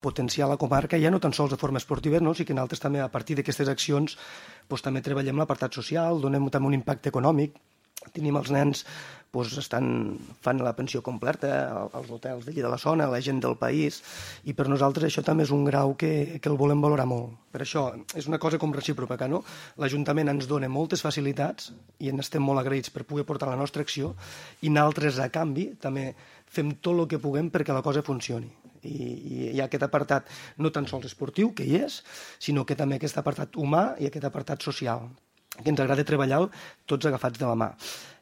potenciar la comarca, ja no tan sols de forma esportiva, no? Sí que nosaltres també, a partir d'aquestes accions, també treballem l'apartat social, donem també un impacte econòmic. Tenim els nens, fan la pensió completa als hotels d'allí de la zona, la gent del país, i per nosaltres això també és un grau que el volem valorar molt. Per això és una cosa com recíproca, no? L'Ajuntament ens dona moltes facilitats i en estem molt agraïts per poder portar la nostra acció, i nosaltres, a canvi, també fem tot el que puguem perquè la cosa funcioni. I hi ha aquest apartat no tan sols esportiu, que hi és, sinó que també aquest apartat humà i aquest apartat social, que ens agrada treballar tots agafats de la mà.